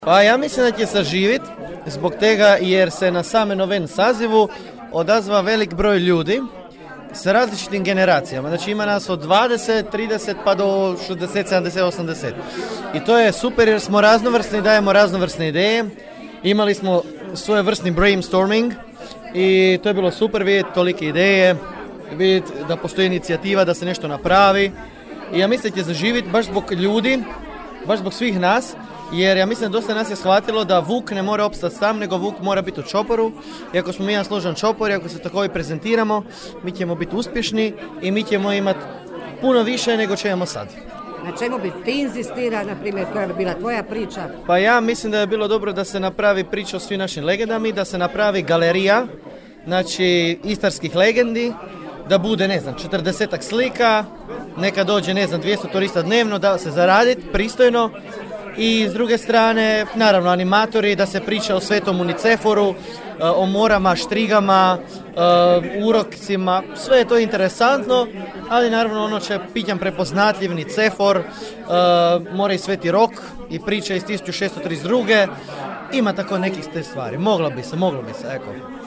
Pa ja mislim da će saživit zbog tega jer se na same noven sazivu odazva velik broj ljudi sa različitim generacijama. Znači ima nas od 20, 30 pa do 60, 70, 80. I to je super jer smo raznovrsni, dajemo raznovrsne ideje. Imali smo svojevrsni brainstorming i to je bilo super vidjeti tolike ideje, vidjeti da postoji inicijativa da se nešto napravi. I ja mislim da će zaživjeti baš zbog ljudi, baš zbog svih nas, jer ja mislim da dosta nas je shvatilo da vuk ne mora opstati sam, nego vuk mora biti u čoporu. I ako smo mi jedan složan čopor i ako se tako i prezentiramo, mi ćemo biti uspješni i mi ćemo imati puno više nego što imamo sad. Na čemu bi ti insistira, na primjer, koja bi bila tvoja priča? Pa ja mislim da je bilo dobro da se napravi priča o svim našim legendama, da se napravi galerija, znači istarskih legendi, da bude, 40 slika, neka dođe, 200 turista dnevno, da se zaraditi pristojno. I s druge strane, naravno, animatori, da se priča o Svetom Uniceforu, o morama, štrigama, urokcima, sve je to interesantno, ali naravno ono će pitam prepoznatljiv Nicefor, mora i Sveti Rok i priča iz 1632. Ima tako nekih te stvari, moglo bi se, eko.